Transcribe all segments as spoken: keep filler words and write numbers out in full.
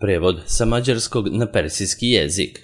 Prevod sa mađarskog na persijski jezik.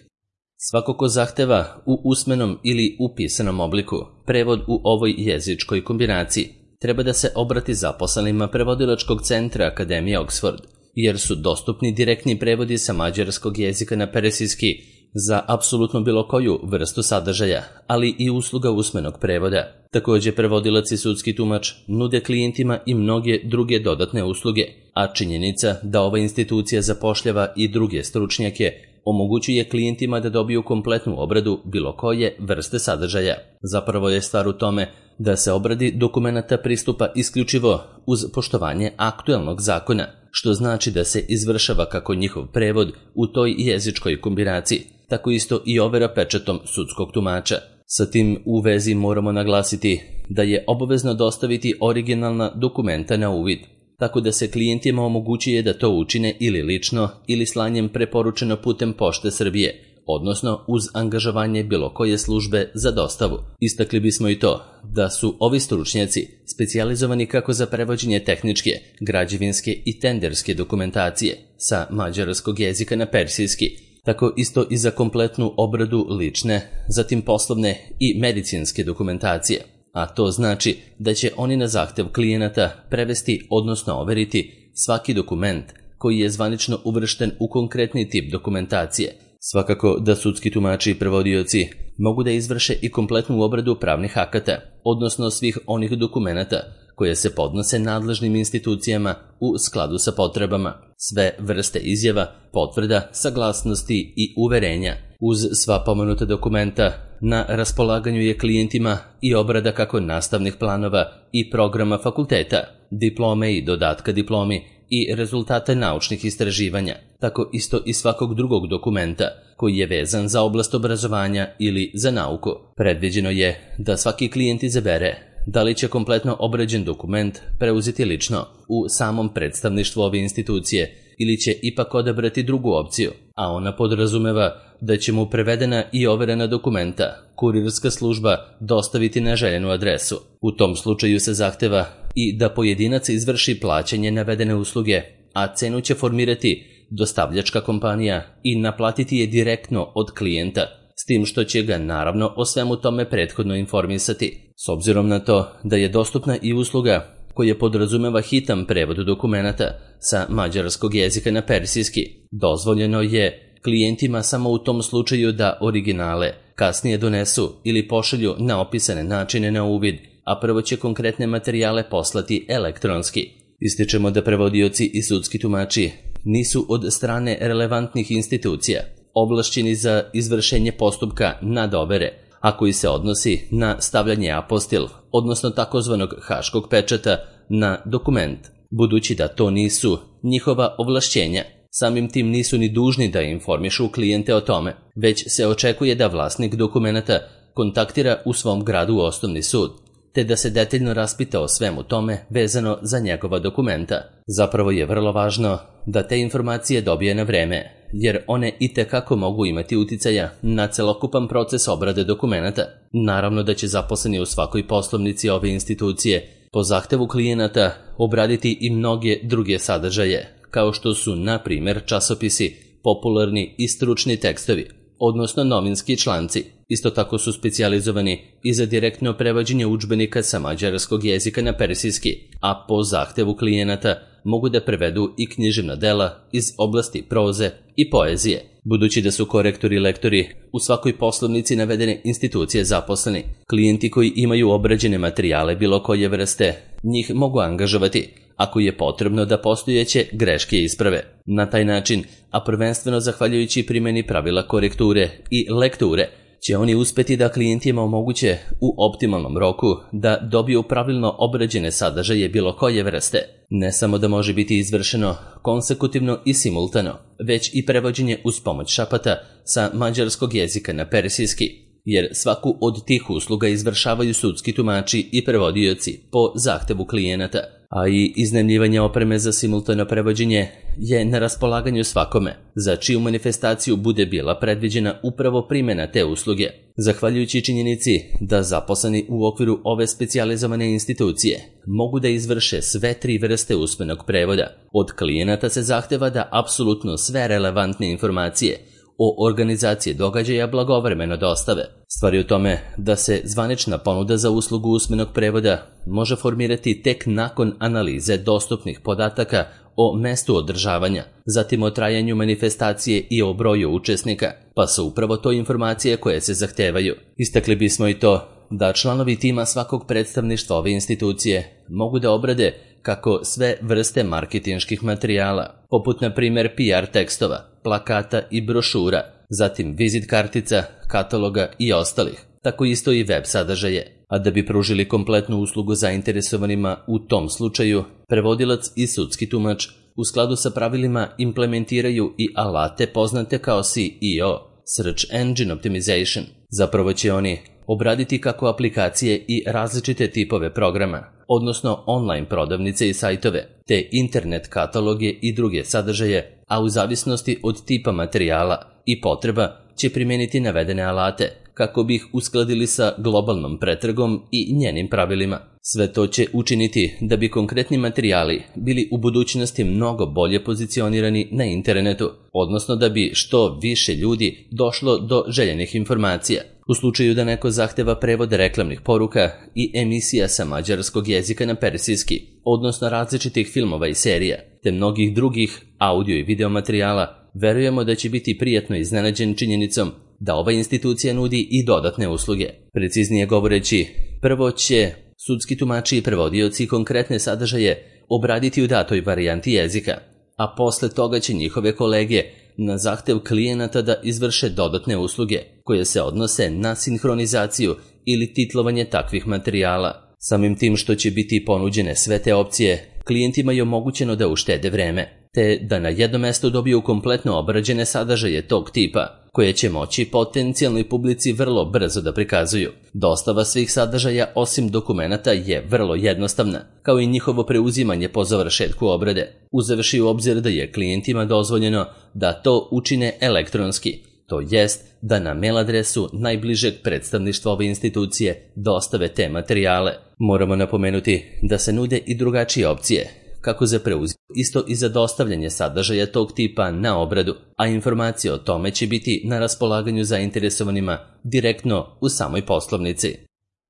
Svako ko zahteva u usmenom ili u pisanom obliku prevod u ovoj jezičkoj kombinaciji treba da se obrati zaposlenima prevodilačkog centra Akademije Oxford, jer su dostupni direktni prevodi sa mađarskog jezika na persijski za apsolutno bilo koju vrstu sadržaja, ali i usluga usmenog prevoda. Također prevodilac i sudski tumač nude klijentima i mnoge druge dodatne usluge, a činjenica da ova institucija zapošljava i druge stručnjake omogućuje klijentima da dobiju kompletnu obradu bilo koje vrste sadržaja. Zapravo je stvar u tome da se obradi dokumenata pristupa isključivo uz poštovanje aktuelnog zakona, što znači da se izvršava kako njihov prevod u toj jezičkoj kombinaciji, tako isto i overa pečatom sudskog tumača. Sa tim u vezi moramo naglasiti da je obavezno dostaviti originalna dokumenta na uvid, tako da se klijentima omogućuje da to učine ili lično ili slanjem preporučeno putem Pošte Srbije, odnosno uz angažovanje bilo koje službe za dostavu. Istakli bismo i to da su ovi stručnjaci specijalizovani kako za prevođenje tehničke, građevinske i tenderske dokumentacije sa mađarskog jezika na persijski, tako isto i za kompletnu obradu lične, zatim poslovne i medicinske dokumentacije. A to znači da će oni na zahtev klijenata prevesti, odnosno overiti svaki dokument koji je zvanično uvršten u konkretni tip dokumentacije. Svakako da sudski tumači i prevodioci mogu da izvrše i kompletnu obradu pravnih akata, odnosno svih onih dokumenata koje se podnose nadležnim institucijama u skladu sa potrebama. Sve vrste izjava, potvrda, saglasnosti i uverenja. Uz sva pomenuta dokumenta na raspolaganju je klijentima i obrada kako nastavnih planova i programa fakulteta, diplome i dodatka diplomi i rezultate naučnih istraživanja, tako isto i svakog drugog dokumenta koji je vezan za oblast obrazovanja ili za nauku. Predviđeno je da svaki klijent izabere da li će kompletno obrađen dokument preuzeti lično u samom predstavništvu ove institucije ili će ipak odabrati drugu opciju, a ona podrazumeva da će mu prevedena i overena dokumenta kurirska služba dostaviti na željenu adresu. U tom slučaju se zahteva i da pojedinac izvrši plaćanje navedene usluge, a cenu će formirati dostavljačka kompanija i naplatiti je direktno od klijenta, s tim što će ga naravno o svemu tome prethodno informisati. S obzirom na to da je dostupna i usluga koja podrazumeva hitan prevod dokumenata sa mađarskog jezika na persijski, dozvoljeno je klijentima samo u tom slučaju da originale kasnije donesu ili pošalju na opisane načine na uvid, a prvo će konkretne materijale poslati elektronski. Ističemo da prevodioci i sudski tumači nisu od strane relevantnih institucija ovlašćeni za izvršenje postupka nadovere, a koji se odnosi na stavljanje apostil, odnosno takozvanog haškog pečata na dokument. Budući da to nisu njihova ovlašćenja, samim tim nisu ni dužni da informišu klijente o tome, već se očekuje da vlasnik dokumenata kontaktira u svom gradu osnovni sud, te da se detaljno raspita o svemu tome vezano za njegova dokumenta. Zapravo je vrlo važno da te informacije dobije na vreme, jer one itekako mogu imati uticaja na celokupan proces obrade dokumenata. Naravno da će zaposleni u svakoj poslovnici ove institucije po zahtevu klijenata obraditi i mnoge druge sadržaje, kao što su, na primjer, časopisi, popularni i stručni tekstovi, odnosno novinski članci. Isto tako su specijalizovani i za direktno prevođenje udžbenika sa mađarskog jezika na persijski, a po zahtevu klijenata mogu da prevedu i književna dela iz oblasti proze i poezije. Budući da su korektori i lektori u svakoj poslovnici navedene institucije zaposleni, klijenti koji imaju obrađene materijale bilo koje vrste njih mogu angažovati ako je potrebno da postojeće greške isprave. Na taj način, a prvenstveno zahvaljujući primjeni pravila korekture i lekture, će oni uspeti da klijentima omoguće u optimalnom roku da dobiju pravilno obrađene sadržaje bilo koje vrste. Ne samo da može biti izvršeno konsekutivno i simultano, već i prevođenje uz pomoć šapata sa mađarskog jezika na persijski. jer svaku od tih usluga izvršavaju sudski tumači i prevodioci po zahtevu klijenata, a i iznajmljivanje opreme za simultano prevođenje je na raspolaganju svakome, za čiju manifestaciju bude bila predviđena upravo primjena te usluge. Zahvaljujući činjenici da zaposleni u okviru ove specijalizovane institucije mogu da izvrše sve tri vrste usmenog prevoda, od klijenata se zahteva da apsolutno sve relevantne informacije o organizaciji događaja blagovremeno dostave. Stvar je u tome da se zvanična ponuda za uslugu usmenog prevoda može formirati tek nakon analize dostupnih podataka o mestu održavanja, zatim o trajanju manifestacije i o broju učesnika, pa su upravo to informacije koje se zahtevaju. Istakli bismo i to da članovi tima svakog predstavništva ove institucije mogu da obrade kako sve vrste marketinških materijala, poput na primjer P R tekstova, plakata i brošura, zatim vizit kartica, kataloga i ostalih, tako isto i web sadržaje. A da bi pružili kompletnu uslugu zainteresovanima u tom slučaju, prevodilac i sudski tumač u skladu sa pravilima implementiraju i alate poznate kao S E O, Search Engine Optimization. Zapravo će oni obraditi kako aplikacije i različite tipove programa, odnosno online prodavnice i sajtove, te internet kataloge i druge sadržaje, a u zavisnosti od tipa materijala i potreba će primijeniti navedene alate kako bi ih uskladili sa globalnom pretragom i njenim pravilima. Sve to će učiniti da bi konkretni materijali bili u budućnosti mnogo bolje pozicionirani na internetu, odnosno da bi što više ljudi došlo do željenih informacija. U slučaju da neko zahteva prevod reklamnih poruka i emisija sa mađarskog jezika na persijski, odnosno različitih filmova i serija, te mnogih drugih audio i video materijala, verujemo da će biti prijatno iznenađen činjenicom da ova institucija nudi i dodatne usluge. Preciznije govoreći, prvo će sudski tumači i prevodioci konkretne sadržaje obraditi u datoj varijanti jezika, a posle toga će njihove kolege na zahtev klijenata da izvrše dodatne usluge koje se odnose na sinhronizaciju ili titlovanje takvih materijala. Samim tim što će biti ponuđene sve te opcije, klijentima je omogućeno da uštede vreme, te da na jedno mesto dobiju kompletno obrađene sadržaje tog tipa, koje će moći potencijalnoj publici vrlo brzo da prikazuju. Dostava svih sadržaja osim dokumenata je vrlo jednostavna, kao i njihovo preuzimanje po završetku obrade, uzevši u obzir da je klijentima dozvoljeno da to učine elektronski, to jest da na mail adresu najbližeg predstavništva ove institucije dostave te materijale. Moramo napomenuti da se nude i drugačije opcije, kako za preuzimanje, isto i za dostavljanje sadržaja tog tipa na obradu, a informacije o tome će biti na raspolaganju zainteresovanima direktno u samoj poslovnici.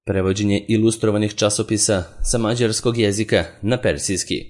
Prevođenje ilustrovanih časopisa sa mađarskog jezika na persijski.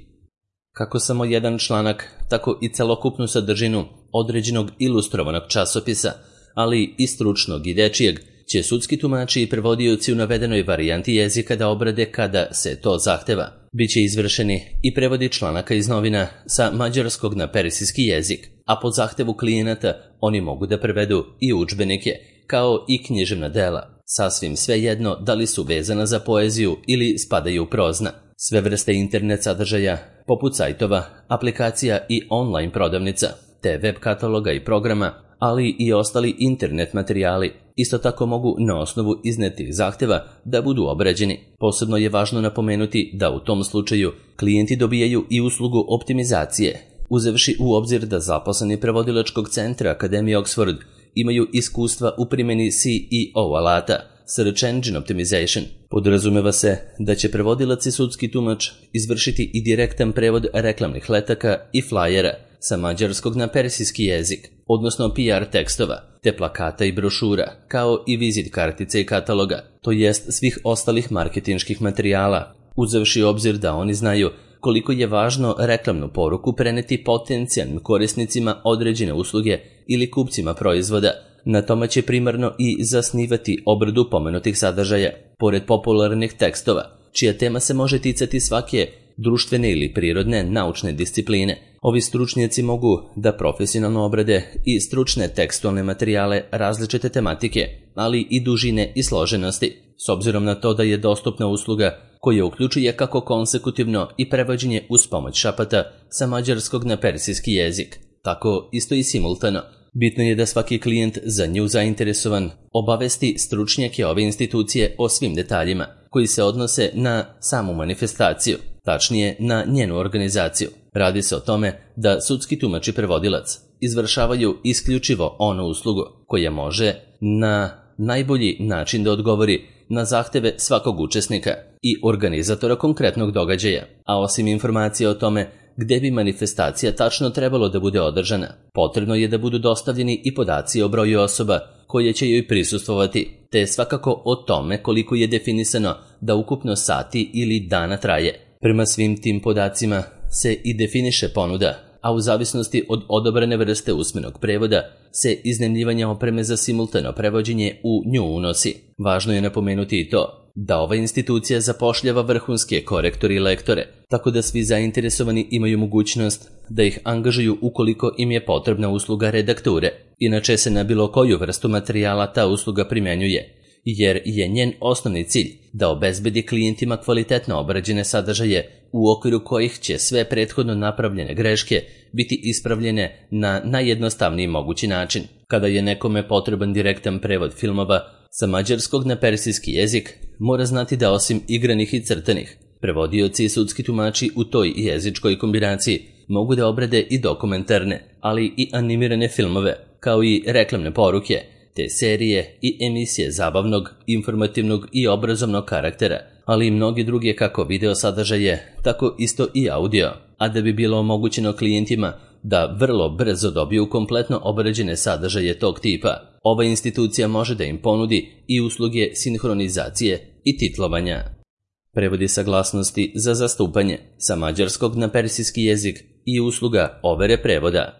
Kako samo jedan članak, tako i celokupnu sadržinu određenog ilustrovanog časopisa, ali i stručnog i dečijeg, će sudski tumači i prevodioci u navedenoj varijanti jezika da obrade kada se to zahteva. Biće izvršeni i prevodi članaka iz novina sa mađarskog na persijski jezik, a po zahtevu klijenata oni mogu da prevedu i udžbenike, kao i književna dela, sasvim svejedno da li su vezana za poeziju ili spadaju u prozna. Sve vrste internet sadržaja, poput sajtova, aplikacija i online prodavnica, te web kataloga i programa, ali i ostali internet materijali, isto tako mogu na osnovu iznetih zahteva da budu obrađeni. Posebno je važno napomenuti da u tom slučaju klijenti dobijaju i uslugu optimizacije, uzevši u obzir da zaposleni prevodilačkog centra Akademije Oxford imaju iskustva u primjeni S E O alata, Search Engine Optimization. Podrazumeva se da će prevodilac i sudski tumač izvršiti i direktan prevod reklamnih letaka i flajera sa mađarskog na persijski jezik, odnosno P R tekstova, te plakata i brošura, kao i vizit kartice i kataloga, to jest svih ostalih marketinških materijala, uzevši obzir da oni znaju koliko je važno reklamnu poruku preneti potencijalnim korisnicima određene usluge ili kupcima proizvoda. Na tome će primarno i zasnivati obradu pomenutih sadržaja, pored popularnih tekstova, čija tema se može ticati svake društvene ili prirodne naučne discipline. Ovi stručnjaci mogu da profesionalno obrade i stručne tekstualne materijale različite tematike, ali i dužine i složenosti, s obzirom na to da je dostupna usluga koja uključuje kako konsekutivno i prevođenje uz pomoć šapata sa mađarskog na persijski jezik, tako isto i simultano, Bitno je da svaki klijent za nju zainteresovan obavesti stručnjake ove institucije o svim detaljima koji se odnose na samu manifestaciju, tačnije na njenu organizaciju. Radi se o tome da sudski tumač i prevodilac izvršavaju isključivo onu uslugu koja može na najbolji način da odgovori na zahteve svakog učesnika i organizatora konkretnog događaja, a osim informacije o tome gde bi manifestacija tačno trebalo da bude održana, potrebno je da budu dostavljeni i podaci o broju osoba koje će joj prisustvovati, te svakako o tome koliko je definisano da ukupno sati ili dana traje. Prema svim tim podacima se i definiše ponuda, a u zavisnosti od odabrane vrste usmenog prevoda se iznajmljivanje opreme za simultano prevođenje u nju unosi. Važno je napomenuti i to da ova institucija zapošljava vrhunske korektore i lektore, tako da svi zainteresovani imaju mogućnost da ih angažuju ukoliko im je potrebna usluga redakture. Inače se na bilo koju vrstu materijala ta usluga primjenjuje, jer je njen osnovni cilj da obezbedi klijentima kvalitetno obrađene sadržaje u okviru kojih će sve prethodno napravljene greške biti ispravljene na najjednostavniji mogući način. Kada je nekome potreban direktan prevod filmova sa mađarskog na persijski jezik, mora znati da osim igranih i crtanih, prevodioci i sudski tumači u toj jezičkoj kombinaciji mogu da obrade i dokumentarne, ali i animirane filmove, kao i reklamne poruke, te serije i emisije zabavnog, informativnog i obrazovnog karaktera, ali i mnogi druge kako video sadržaje, tako isto i audio, a da bi bilo omogućeno klijentima da vrlo brzo dobiju kompletno obrađene sadržaje tog tipa, ova institucija može da im ponudi i usluge sinhronizacije i titlovanja. Prevodi saglasnosti za zastupanje sa mađarskog na persijski jezik i usluga overe prevoda.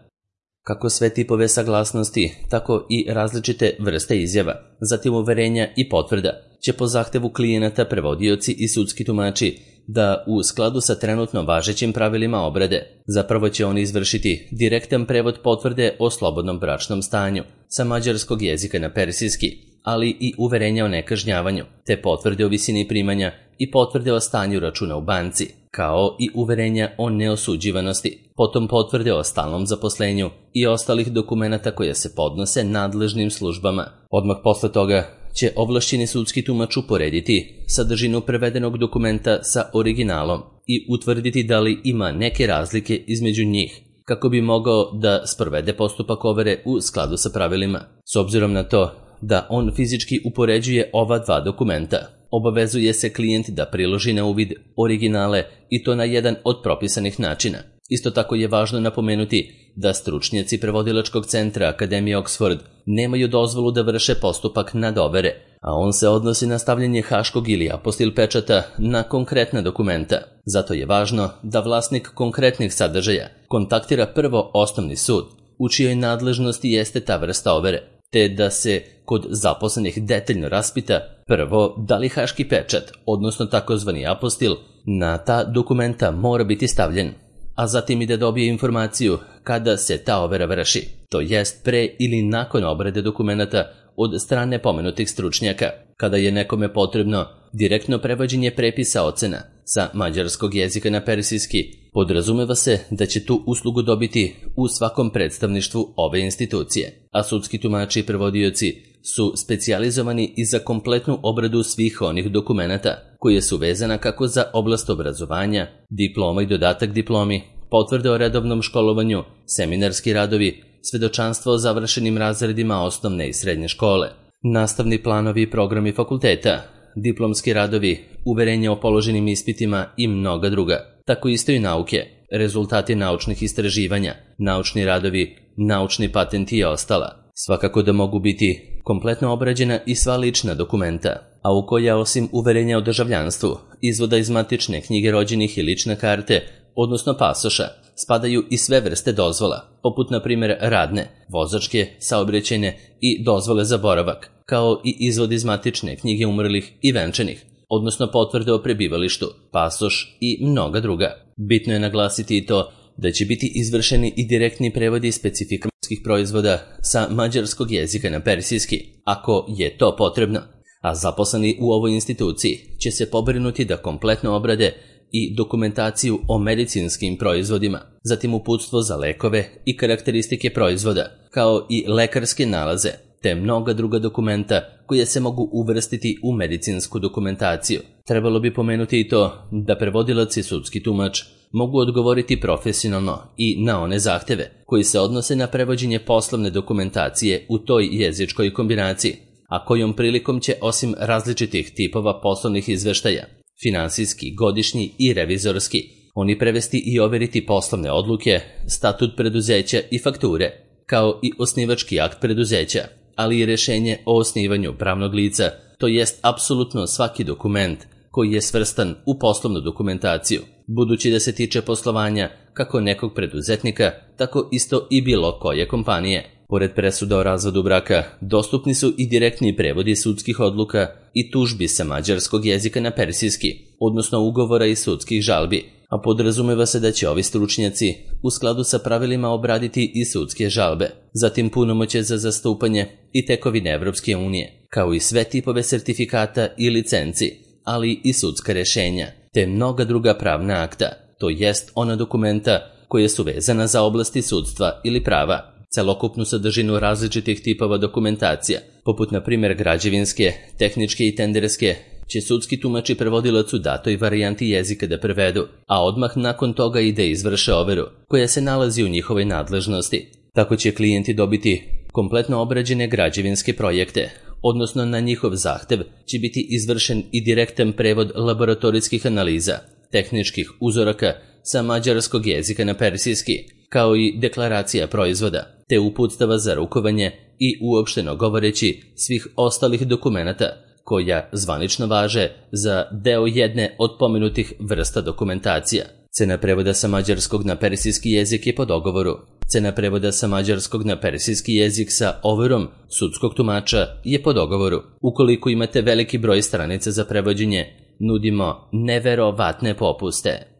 Kako sve tipove saglasnosti, tako i različite vrste izjava, zatim uverenja i potvrda, će po zahtevu klijenata prevodioci i sudski tumači da u skladu sa trenutno važećim pravilima obrade, zapravo će oni izvršiti direktan prevod potvrde o slobodnom bračnom stanju sa mađarskog jezika na persijski, ali i uverenja o nekažnjavanju, te potvrde o visini primanja i potvrde o stanju računa u banci, kao i uverenja o neosuđivanosti, potom potvrde o stalnom zaposlenju i ostalih dokumenata koje se podnose nadležnim službama. Odmah posle toga će ovlašćeni sudski tumač uporediti sadržinu prevedenog dokumenta sa originalom i utvrditi da li ima neke razlike između njih, kako bi mogao da sprovede postupak overe u skladu sa pravilima. S obzirom na to da on fizički upoređuje ova dva dokumenta, obavezuje se klijent da priloži na uvid originale i to na jedan od propisanih načina. Isto tako je važno napomenuti da stručnjaci prevodilačkog centra Akademije Oxford nemaju dozvolu da vrše postupak nadovere, a on se odnosi na stavljanje haškog ili apostil pečata na konkretna dokumenta. Zato je važno da vlasnik konkretnih sadržaja kontaktira prvo osnovni sud, u čijoj nadležnosti jeste ta vrsta overe, te da se kod zaposlenih detaljno raspita prvo da li haški pečat, odnosno takozvani apostil, na ta dokumenta mora biti stavljen, a zatim i da dobije informaciju kada se ta overa vrši, to jest pre ili nakon obrade dokumenata od strane pomenutih stručnjaka. Kada je nekome potrebno direktno prevođenje prepisa ocena sa mađarskog jezika na persijski, podrazumeva se da će tu uslugu dobiti u svakom predstavništvu ove institucije, a sudski tumači i prevodioci su specijalizovani i za kompletnu obradu svih onih dokumenata koje su vezana kako za oblast obrazovanja, diploma i dodatak diplomi, potvrde o redovnom školovanju, seminarski radovi, svedočanstvo o završenim razredima osnovne i srednje škole, nastavni planovi i programi fakulteta, diplomski radovi, uverenja o položenim ispitima i mnoga druga. Tako isto i nauke, rezultati naučnih istraživanja, naučni radovi, naučni patenti i ostala. Svakako da mogu biti kompletno obrađena i sva lična dokumenta, a u koja osim uverenja o državljanstvu, izvoda iz matične knjige rođenih i lične karte, odnosno pasoša, spadaju i sve vrste dozvola, poput na primjer radne, vozačke, saobraćajne i dozvole za boravak, kao i izvod iz matične knjige umrlih i venčanih, odnosno potvrde o prebivalištu, pasoš i mnoga druga. Bitno je naglasiti i to da će biti izvršeni i direktni prevodi specifikanskih proizvoda sa mađarskog jezika na persijski, ako je to potrebno, a zaposleni u ovoj instituciji će se pobrinuti da kompletno obrade i dokumentaciju o medicinskim proizvodima, zatim uputstvo za lekove i karakteristike proizvoda, kao i lekarske nalaze, te mnoga druga dokumenta koje se mogu uvrstiti u medicinsku dokumentaciju. Trebalo bi pomenuti i to da prevodilac i sudski tumač mogu odgovoriti profesionalno i na one zahteve koji se odnose na prevođenje poslovne dokumentacije u toj jezičkoj kombinaciji, a kojom prilikom će osim različitih tipova poslovnih izveštaja, finansijski, godišnji i revizorski, oni prevesti i overiti poslovne odluke, statut preduzeća i fakture, kao i osnivački akt preduzeća, ali i rješenje o osnivanju pravnog lica, to jest apsolutno svaki dokument koji je svrstan u poslovnu dokumentaciju, budući da se tiče poslovanja kako nekog preduzetnika, tako isto i bilo koje kompanije. Pored presuda o razvodu braka, dostupni su i direktni prevodi sudskih odluka i tužbi sa mađarskog jezika na persijski, odnosno ugovora i sudskih žalbi, a podrazumeva se da će ovi stručnjaci u skladu sa pravilima obraditi i sudske žalbe, zatim punomoćje za zastupanje i tekovine Evropske unije, kao i sve tipove sertifikata i licenci, ali i sudska rješenja, te mnoga druga pravna akta, to jest ona dokumenta koje su vezana za oblasti sudstva ili prava. Celokupnu sadržinu različitih tipova dokumentacija, poput na primjer građevinske, tehničke i tenderske, će sudski tumač i prevodilac u datoj varijanti jezika da prevedu, a odmah nakon toga i da izvrše overu, koja se nalazi u njihovoj nadležnosti. Tako će klijenti dobiti kompletno obrađene građevinske projekte, odnosno na njihov zahtev će biti izvršen i direktan prevod laboratorijskih analiza, tehničkih uzoraka sa mađarskog jezika na persijski, kao i deklaracija proizvoda, te uputstava za rukovanje i uopšteno govoreći svih ostalih dokumenata koja zvanično važe za deo jedne od pomenutih vrsta dokumentacija. Cena prevoda sa mađarskog na persijski jezik je po dogovoru. Cena prevoda sa mađarskog na persijski jezik sa overom sudskog tumača je po dogovoru. Ukoliko imate veliki broj stranica za prevođenje, nudimo neverovatne popuste.